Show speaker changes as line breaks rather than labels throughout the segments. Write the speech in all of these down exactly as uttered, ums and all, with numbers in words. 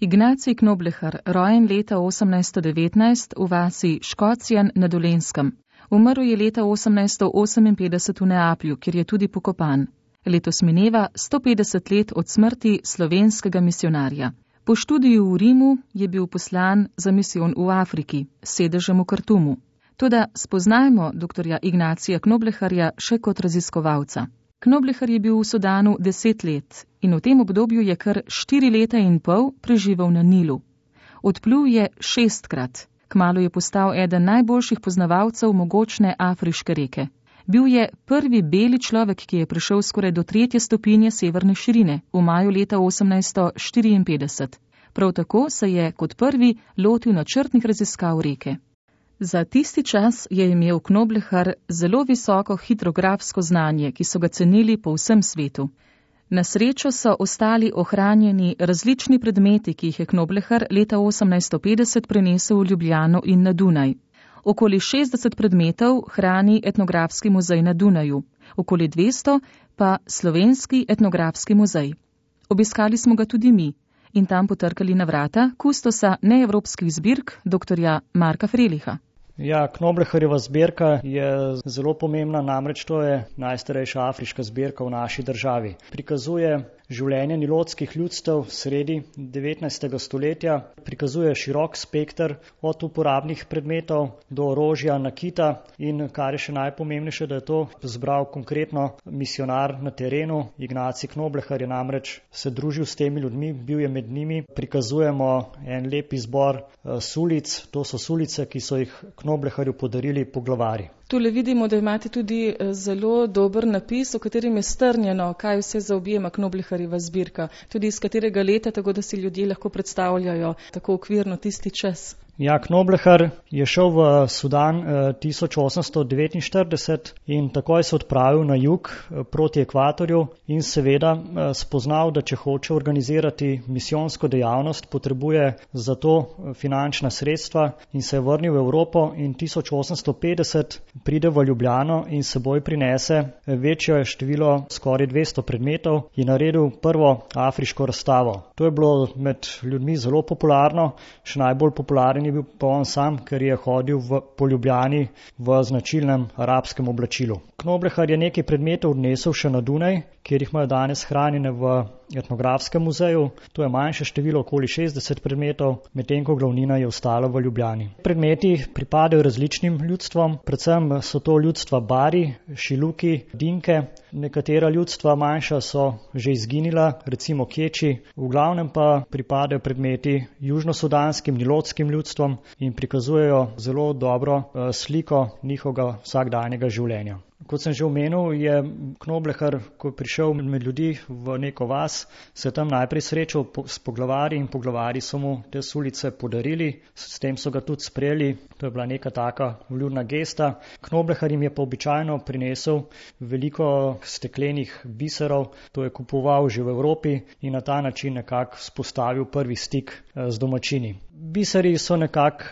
Ignacij Knoblechar, rojen leta osemnajststo devetnajst v vasi Škocjan na Dolenjskem. Umrl je leta osemnajststo oseminpetdeset v Neaplju, kjer je tudi pokopan. Letos mineva sto petdeset let od smrti slovenskega misionarja. Po študiju v Rimu je bil poslan za misijon v Afriki, s sedežem v Kartumu. Toda spoznajmo doktorja Ignacija Knoblecharja še kot raziskovalca. Knoblechar je bil v Sudanu deset let in v tem obdobju je kar štiri leta in pol preživel na Nilu. Odplul je šestkrat. Kmalu je postal eden najboljših poznavalcev mogočne afriške reke. Bil je prvi beli človek, ki je prišel skoraj do tretje stopinje severne širine v maju leta osemnajststo štiriinpetdeset. Prav tako se je kot prvi lotil načrtnih raziskav reke. Za tisti čas je imel Knoblechar zelo visoko hidrografsko znanje, ki so ga cenili po vsem svetu. Na srečo so ostali ohranjeni različni predmeti, ki jih je Knoblechar leta osemnajststo petdeset prenesel v Ljubljano in na Dunaj. Okoli šestdeset predmetov hrani etnografski muzej na Dunaju, okoli dvesto pa slovenski etnografski muzej. Obiskali smo ga tudi mi in tam potrkali na vrata kustosa neevropskih zbirk doktorja Marka Freliha.
Ja, Knoblecharjeva zbirka je zelo pomembna, namreč to je najstarejša afriška zbirka v naši državi. Prikazuje življenje nilotskih ljudstev sredi devetnajstega stoletja, prikazuje širok spekter od uporabnih predmetov do orožja, nakita in kar je še najpomembnejše, da je to zbral konkretno misionar na terenu. Ignacij Knoblechar je namreč se družil s temi ljudmi, bil je med njimi. Prikazujemo en lep izbor sulic, to so sulice, ki so jih Knoblecharju podarili poglavarji.
Tule vidimo, da imate tudi zelo dober napis, v katerem je strnjeno, kaj vse zaobjema Knoblecharjeva zbirka, tudi iz katerega leta, tako da si ljudje lahko predstavljajo tako okvirno tisti čas.
Ja, Knoblechar je šel v Sudan tisoč osemsto devetinštirideset in takoj se odpravil na jug proti ekvatorju in seveda spoznal, da če hoče organizirati misijonsko dejavnost, potrebuje za to finančna sredstva in se je vrnil v Evropo in tisoč osemsto petdeset pride v Ljubljano in seboj prinese večje število, skoraj dvesto predmetov in naredil prvo afriško razstavo. To je bilo med ljudmi zelo popularno, še najbolj popularen je bil pa on sam, ker je hodil v, po Ljubljani v značilnem arabskem oblačilu. Knoblechar je nekaj predmetov odnesel še na Dunaj, kjer jih imajo danes hranjene v etnografskem muzeju. To je manjše število, okoli šestdeset predmetov, medtem ko glavnina je ostala v Ljubljani. Predmeti pripadajo različnim ljudstvom, predvsem so to ljudstva Bari, Šiluki, Dinke. Nekatera ljudstva manjša so že izginila, recimo Keči, v glavnem pa pripadajo predmeti južnosudanskim, nilotskim ljudstvom in prikazujejo zelo dobro sliko njihovega vsakdanjega življenja. Kot sem že omenil, je Knoblechar, ko je prišel med ljudi v neko vas, se tam najprej srečal s poglavarji in poglavarji so mu te sulice podarili, s tem so ga tudi sprejeli, to je bila neka taka vljudna gesta. Knoblechar jim je pa običajno prinesel veliko steklenih biserov, to je kupoval že v Evropi in na ta način nekako vzpostavil prvi stik z domačini. Biseri so nekako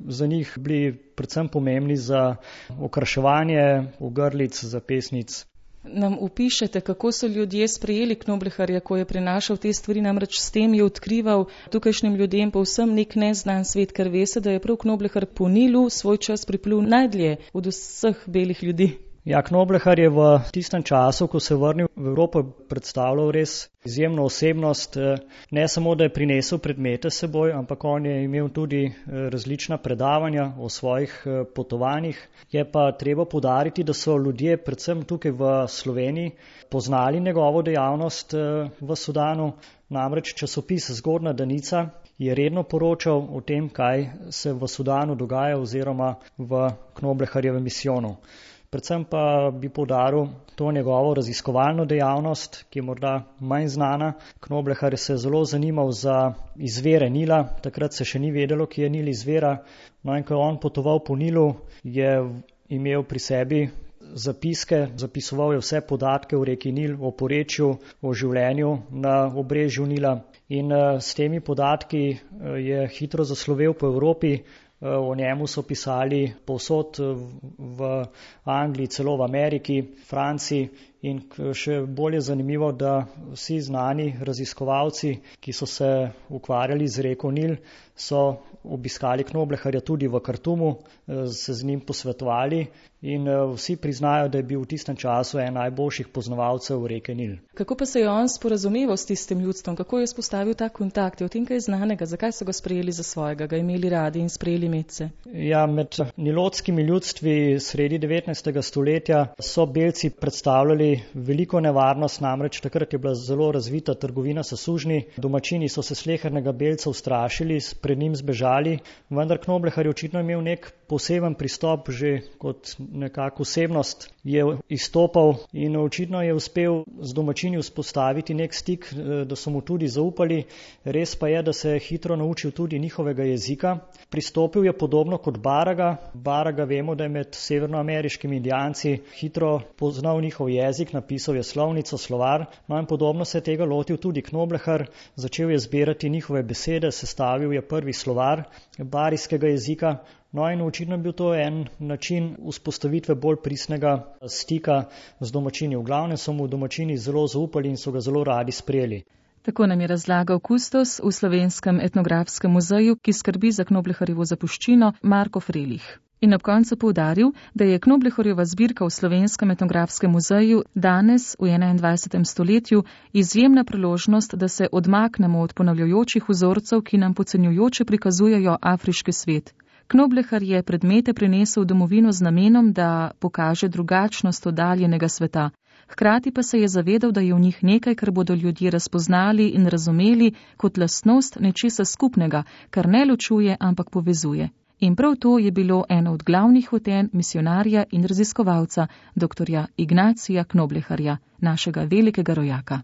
za njih bili predvsem pomembni za okraševanje ogrlic, zapestnic.
Nam opišete, kako so ljudje sprejeli Knoblecharja, ko je prinašal te stvari, namreč s tem je odkrival tukajšnjim ljudem povsem nek neznan svet, ker ve se, da je prav Knoblechar po Nilu svoj čas priplul najdlje od vseh belih ljudi.
Ja, Knoblechar je v tistem času, ko se je vrnil v Evropo, predstavljal res izjemno osebnost. Ne samo, da je prinesel predmete s seboj, ampak on je imel tudi različna predavanja o svojih potovanjih. Je pa treba poudariti, da so ljudje, predvsem tukaj v Sloveniji, poznali njegovo dejavnost v Sudanu. Namreč časopis Zgodna Danica je redno poročal o tem, kaj se v Sudanu dogaja oziroma v Knoblecharjevem misijonu. Predvsem pa bi poudaril to njegovo raziskovalno dejavnost, ki je morda manj znana. Knoblechar se je zelo zanimal za izvire Nila, takrat se še ni vedelo, ki je Nil izvira. No in ko je on potoval po Nilu, je imel pri sebi zapiske, zapisoval je vse podatke o reki Nil, o porečju, o življenju na obrežju Nila in s temi podatki je hitro zaslovel po Evropi. O njemu so pisali povsod v Angliji, celo v Ameriki, Franciji In še bolj je zanimivo, da vsi znani raziskovalci, ki so se ukvarjali z reko Nil, so obiskali Knobleharja tudi v Kartumu, se z njim posvetovali in vsi priznajo, da je bil v tistem času en najboljših poznavalcev reke Nil.
Kako pa se je on sporazumeval s tistim ljudstvom? Kako je spostavil ta kontakt? Je o tem kaj znanega? Zakaj so ga sprejeli za svojega, ga imeli radi in sprejeli medse?
Ja, med nilotskimi ljudstvi sredi devetnajstega stoletja so belci predstavljali veliko nevarnost, namreč takrat je bila zelo razvita trgovina s sužnji. Domačini so se slehernega belca ustrašili, pred njim zbežali, vendar Knoblehar je očitno imel nek poseben pristop, že kot nekako osebnost je izstopal in očitno je uspel z domačini vzpostaviti nek stik, da so mu tudi zaupali. Res pa je, da se je hitro naučil tudi njihovega jezika. Pristopil je podobno kot Baraga. Baraga vemo, da je med severnoameriškimi indijanci hitro poznal njihov jezik, napisal je slovnico, slovar, no in podobno se je tega lotil tudi Knoblehar. Začel je zbirati njihove besede, sestavil je prvi slovar barijskega jezika. No in očitno je bil to en način vzpostavitve bolj pristnega stika z domačini. V glavnem so mu domačini zelo zaupali in so ga zelo radi sprejeli.
Tako nam je razlagal kustos v Slovenskem etnografskem muzeju, ki skrbi za Knobleharjevo zapuščino, Marko Frelih. In ob koncu poudaril, da je Knobleharjeva zbirka v Slovenskem etnografskem muzeju danes v enaindvajsetem stoletju izjemna priložnost, da se odmaknemo od ponavljajočih vzorcev, ki nam podcenjujoče prikazujejo afriški svet. Knoblehar je predmete prinesel v domovino z namenom, da pokaže drugačnost oddaljenega sveta. Hkrati pa se je zavedal, da je v njih nekaj, kar bodo ljudje razpoznali in razumeli kot lastnost nečesa skupnega, kar ne ločuje, ampak povezuje. In prav to je bilo eno od glavnih hotenj misionarja in raziskovalca, doktorja Ignacija Knobleharja, našega velikega rojaka.